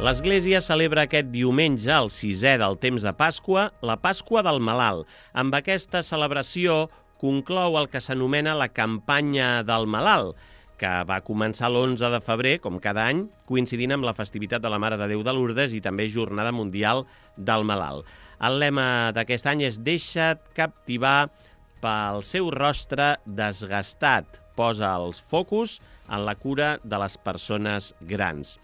L'Església celebra aquest diumenge, el 6è del temps de Pasqua, la Pasqua del Malalt. Amb aquesta celebració conclou el que s'anomena la campanya del Malalt, que va començar l'11 de febrer, com cada any, coincidint amb la festivitat de la Mare de Déu de Lourdes i també Jornada Mundial del Malalt. El lema d'aquest any és «Deixa't captivar pel seu rostre desgastat». Posa els focus en la cura de les persones grans.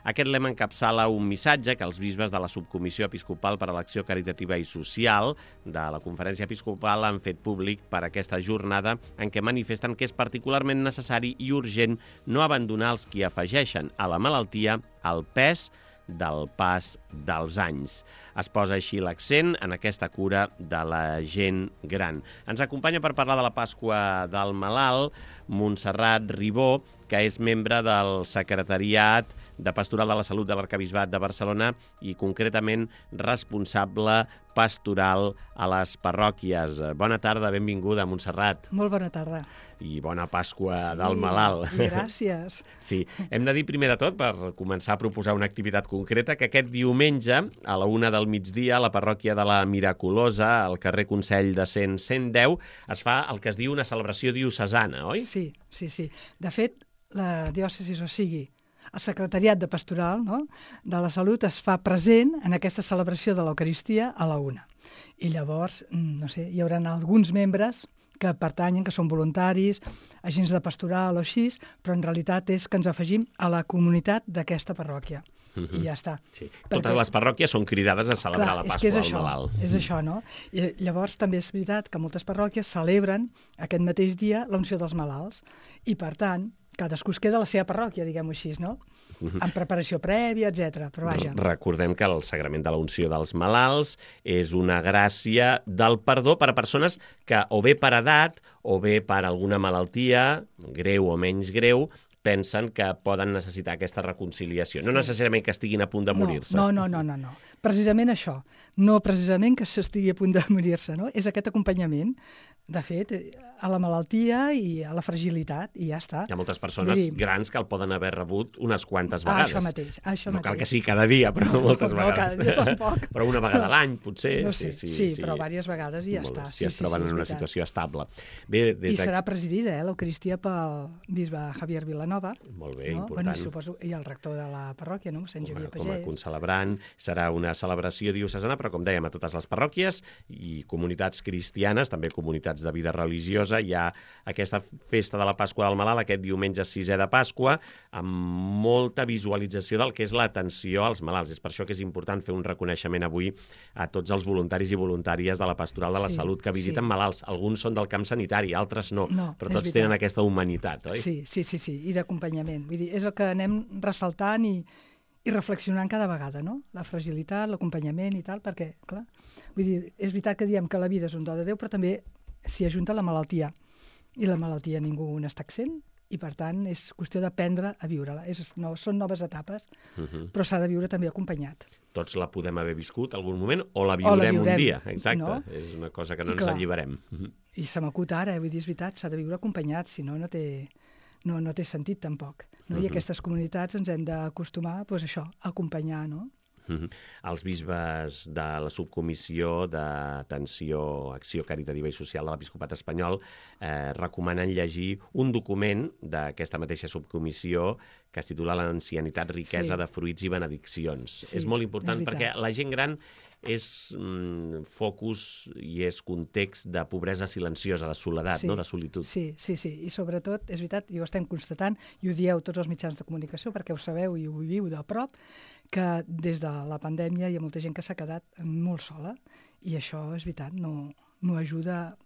Aquest lema encapçala un missatge que els bisbes de la Subcomissió Episcopal per a l'Acció Caritativa i Social de la Conferència Episcopal han fet públic per aquesta jornada en què manifesten que és particularment necessari i urgent no abandonar els qui afegeixen a la malaltia el pes del pas dels anys. Es posa així l'accent en aquesta cura de la gent gran. Ens acompanya per parlar de la Pasqua del Malalt Montserrat Ribó, que és membre del Secretariat de Pastoral de la Salut de l'Arquebisbat de Barcelona i concretament responsable pastoral a les parròquies. Bona tarda, benvinguda, Montserrat. Molt bona tarda. I bona Pasqua del Malalt. Gràcies. Sí, hem de dir primer de tot, per començar a proposar una activitat concreta, que aquest diumenge, a la 1 del migdia, a la parròquia de la Miraculosa, al carrer Consell de 110, es fa el que es diu una celebració diocesana, oi? Sí. De fet, la diòcesis, o sigui, el Secretariat de Pastoral de la Salut es fa present en aquesta celebració de l'Eucaristia a la 1. I llavors, no sé, hi haurà alguns membres que pertanyen, que són voluntaris, agents de pastoral o així, però en realitat és que ens afegim a la comunitat d'aquesta parròquia. I ja està. Sí. Totes les parròquies són cridades a celebrar la Pasqua del Malalt. És això, no? I llavors també és veritat que moltes parròquies celebren aquest mateix dia l'unció dels malalts i, per tant, cadascú es queda a la seva parròquia, diguem-ho així, no? En preparació prèvia, etc. Però vaja. Recordem que el sagrament de la unció dels malalts és una gràcia del perdó per a persones que o bé per edat o bé per alguna malaltia, greu o menys greu, pensen que poden necessitar aquesta reconciliació. No necessàriament que estiguin a punt de morir-se. No. Precisament això. No precisament que s'estigui a punt de morir-se, no? És aquest acompanyament, de fet, a la malaltia i a la fragilitat, i ja està. Hi ha moltes persones grans que el poden haver rebut unes quantes vegades. Això mateix. No cal que sigui cada dia, però moltes vegades. No, cada dia tampoc. Però una vegada a l'any, potser. No sé, sí, però diverses vegades i ja està. Si es troben en una situació estable. Bé, I serà presidida, l'Eucaristia, pel bisbe Javier Vilanova. Molt bé, important. Bueno, suposo, i el rector de la parròquia, no? Sant Xavier Pagès. Com a concelebrant, serà una celebració diocesana, però com dèiem, a totes les parròquies i comunitats cristianes, també comunitats de vida religiosa, hi ha aquesta festa de la Pasqua del Malalt, aquest diumenge 6è de Pasqua, amb molta visualització del que és l'atenció als malalts. És per això que és important fer un reconeixement avui a tots els voluntaris i voluntàries de la Pastoral de la Salut que visiten malalts. Alguns són del camp sanitari, altres no, però tots tenen aquesta humanitat, oi? Sí, i d'acompanyament. Vull dir, és el que anem ressaltant i reflexionant cada vegada, no? La fragilitat, l'acompanyament i tal, perquè, clar, vull dir, és veritat que diem que la vida és un do de Déu, però també s'hi ajunta la malaltia. I la malaltia ningú n'està exempt i, per tant, és qüestió d'aprendre a viure-la. Són noves etapes, però s'ha de viure també acompanyat. Tots la podem haver viscut algun moment o la viurem un dia. Exacte, no? És una cosa que no ens alliberem. I se m'acut ara, vull dir, és veritat, s'ha de viure acompanyat, si no, no té sentit tampoc. No? I aquestes comunitats ens hem d'acostumar a això, a acompanyar, no? Els bisbes de la Subcomissió d'Atenció, Acció Caritativa i Social de l'Episcopat espanyol recomanen llegir un document d'aquesta mateixa subcomissió que es titula L'ancianitat, riquesa de fruits i benediccions. És molt important perquè la gent gran és focus i és context de pobresa silenciosa, de soledat, de solitud. Sí. I sobretot, és veritat, i ho estem constatant, i ho dieu tots els mitjans de comunicació, perquè ho sabeu i ho viviu de prop, que des de la pandèmia hi ha molta gent que s'ha quedat molt sola, i això, és veritat, no ajuda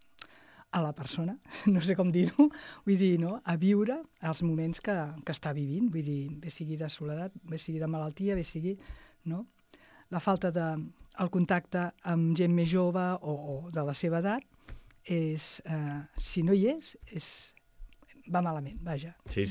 a la persona, no sé com dir-ho, vull dir, no? A viure els moments que està vivint, vull dir, bé sigui de soledat, bé sigui de malaltia, bé sigui, no? La falta el contacte amb gent més jove o de la seva edat és, si no hi és va malament, vaja. Sí.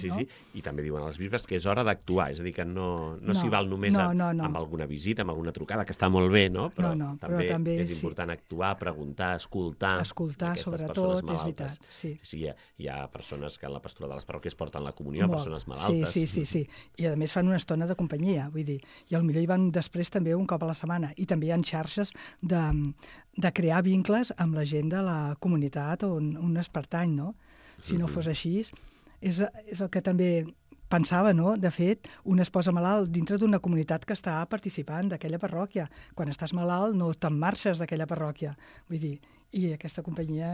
I també diuen els bisbes que és hora d'actuar, és a dir, que no s'hi val només amb alguna visita, amb alguna trucada, que està molt bé, no? Però també és important actuar, preguntar, escoltar aquestes sobretot, persones malaltes. És veritat, sí. Hi ha persones que en la pastoral de les parròquies porten la comunió, persones malaltes. Sí. I a més fan una estona de companyia, vull dir, i potser hi van després també un cop a la setmana. I també hi ha xarxes de crear vincles amb la gent de la comunitat on es pertany, no? Si no fos així, és el que també pensava, no? De fet, un es posa malalt dintre d'una comunitat que està participant d'aquella parròquia. Quan estàs malalt no te'n marxes d'aquella parròquia. Vull dir, i aquesta companyia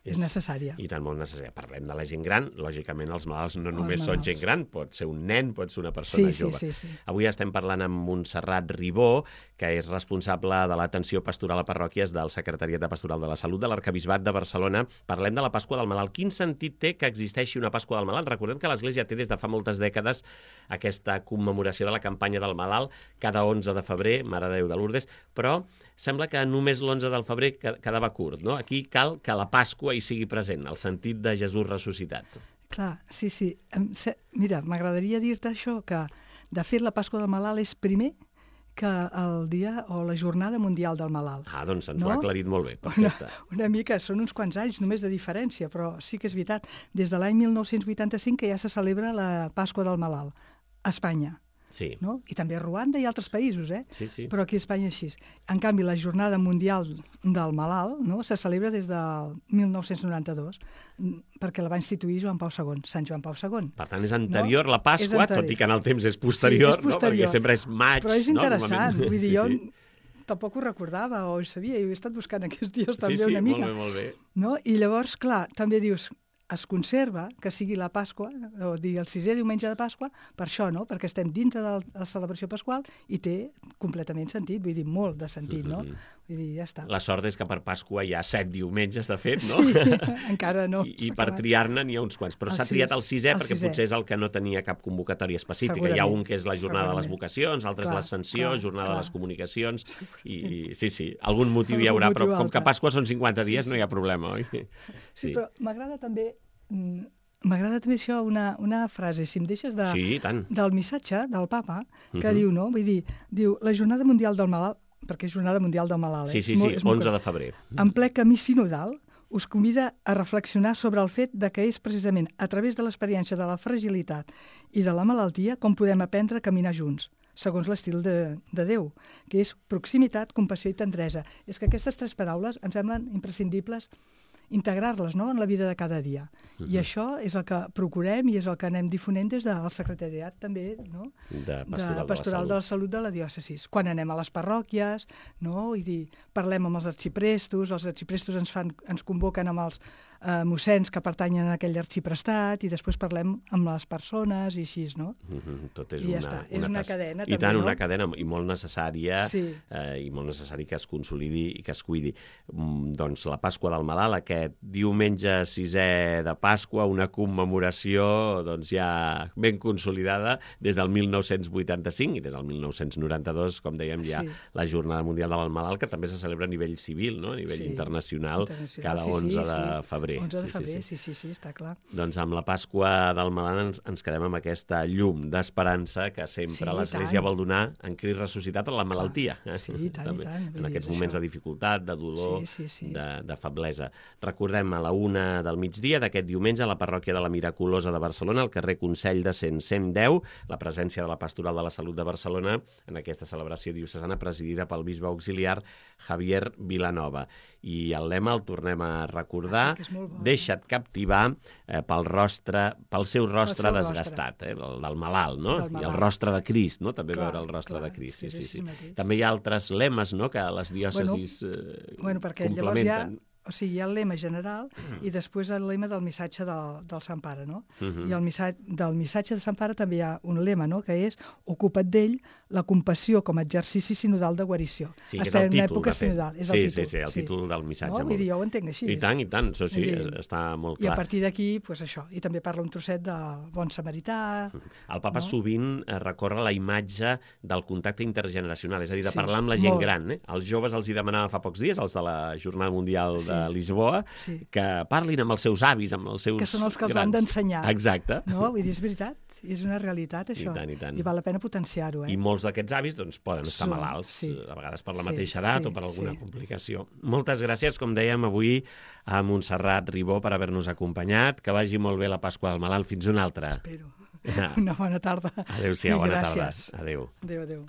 és necessària. I tant, molt necessària. Parlem de la gent gran. Lògicament, els malalts no només són gent gran, pot ser un nen, pot ser una persona jove. Sí. Avui estem parlant amb Montserrat Ribó, que és responsable de l'atenció pastoral a parròquies del Secretariat de Pastoral de la Salut de l'Arquebisbat de Barcelona. Parlem de la Pasqua del Malalt. Quin sentit té que existeixi una Pasqua del Malalt? Recordem que l'Església té des de fa moltes dècades aquesta commemoració de la campanya del Malalt cada 11 de febrer, Mare de Déu de Lourdes, però sembla que només l'11 del febrer quedava curt, no? Aquí cal que la Pasqua hi sigui present, el sentit de Jesús ressuscitat. Clar, sí. Mira, m'agradaria dir-te això, que de fet la Pasqua del Malalt és primer que el dia o la Jornada Mundial del Malalt. Doncs ens ho ha aclarit molt bé, perfecte. Una mica, són uns quants anys només de diferència, però sí que és veritat. Des de l'any 1985 que ja se celebra la Pasqua del Malalt a Espanya. Sí. No? I també a Ruanda i altres països, Sí. Però aquí a Espanya així. En canvi, la Jornada Mundial del Malalt, no? Se celebra des del 1992, perquè la va instituir Joan Pau II, Sant Joan Pau II. Per tant, és anterior la Pasqua, tot i que en el temps és posterior, no? Perquè sempre és maig. Però és interessant, no? Vull dir, jo tampoc ho recordava o ho sabia, i ho he estat buscant aquests dies també una mica. Molt bé. No? I llavors, clar, també dius, es conserva que sigui la Pasqua, o dir el 6è diumenge de Pasqua, per això, no? Perquè estem dintre de la celebració pasqual i té completament sentit, vull dir, molt de sentit, no? Vull dir, ja està. La sort és que per Pasqua hi ha 7 diumenges, de fet, no? Sí, encara no. I per triar-ne n'hi ha uns quants, però s'ha triat el 6è perquè potser és el que no tenia cap convocatòria específica. Hi ha un que és la Jornada de les Vocacions, l'altre és l'Ascensió, Jornada de les Comunicacions, i sí, algun motiu hi haurà, però com que Pasqua són 50 dies no hi ha problema, oi? Sí, però m'agrada també això, una frase, si em deixes, del missatge del papa, que diu, no? Vull dir, la Jornada Mundial del Malalt, perquè és Jornada Mundial del Malalt. Sí, 11 de febrer. En ple camí sinodal, us convida a reflexionar sobre el fet de que és precisament a través de l'experiència de la fragilitat i de la malaltia com podem aprendre a caminar junts, segons l'estil de Déu, que és proximitat, compassió i tendresa. És que aquestes 3 paraules em semblen imprescindibles integrar-les, no?, en la vida de cada dia. I això és el que procurem i és el que anem difonent des del secretariat també, no?, de Pastoral de la Salut de la diòcesis. Quan anem a les parròquies, no?, i parlem amb els arxiprestos ens convoquen amb els mossens que pertanyen a aquell arxiprestat i després parlem amb les persones i així, no? Tot és una cadena. I tant, una cadena i molt necessària, i molt necessari que es consolidi i que es cuidi. Doncs la Pasqua del Malalt, aquest diumenge 6è de Pasqua, una commemoració ja ben consolidada des del 1985 i des del 1992, com dèiem, hi ha la Jornada Mundial del Malalt, que també se celebra a nivell civil, no?, a nivell internacional, cada 11 de febrer. 11 de febrer, sí, està clar. Doncs amb la Pasqua del Malalt ens quedem amb aquesta llum d'esperança que sempre l'Església vol donar en Crist ressuscitat a la malaltia. Sí, i tant. En aquests moments de dificultat, de dolor, de feblesa. Recordem, a la 1 del migdia d'aquest diumenge a la parròquia de la Miraculosa de Barcelona, al carrer Consell de 110, la presència de la Pastoral de la Salut de Barcelona en aquesta celebració diocesana presidida pel bisbe auxiliar Javier Vilanova. I el lema el tornem a recordar, deixa't captivar pel seu rostre desgastat, el del malalt, no? I el rostre de Crist, no? També veure el rostre de Crist. Sí. També hi ha altres lemes, no?, que les diòcesis complementen. O sigui, hi ha el lema general i després el lema del missatge del Sant Pare, no? I del missatge de Sant Pare també hi ha un lema, no?, que és ocupa't d'ell, la compassió com a exercici sinodal de guarició. Sí, que és el títol, de fet. Sinodal, és el títol. Sí, el títol del missatge. Vull dir, jo ho entenc així. I tant, això sí, està molt clar. I a partir d'aquí, això, i també parla un trosset del bon samarità. El papa sovint recorre la imatge del contacte intergeneracional, és a dir, de parlar amb la gent gran. Els joves els hi demanava fa pocs dies, els de la Jornada Mundial Lisboa, que parlin amb els seus avis, amb els seus que són els que els grans. han d'ensenyar. Exacte. No, vull dir, és veritat. És una realitat, això. I tant, i tant. I val la pena potenciar-ho, I molts d'aquests avis doncs, poden estar malalts, a vegades per la mateixa edat o per alguna complicació. Moltes gràcies, com dèiem, avui a Montserrat Ribó per haver-nos acompanyat. Que vagi molt bé la Pasqua del Malalt. Fins una altra. Espero. Una bona tarda. Adéu-siau, bona tarda. Adéu. Adéu, adéu.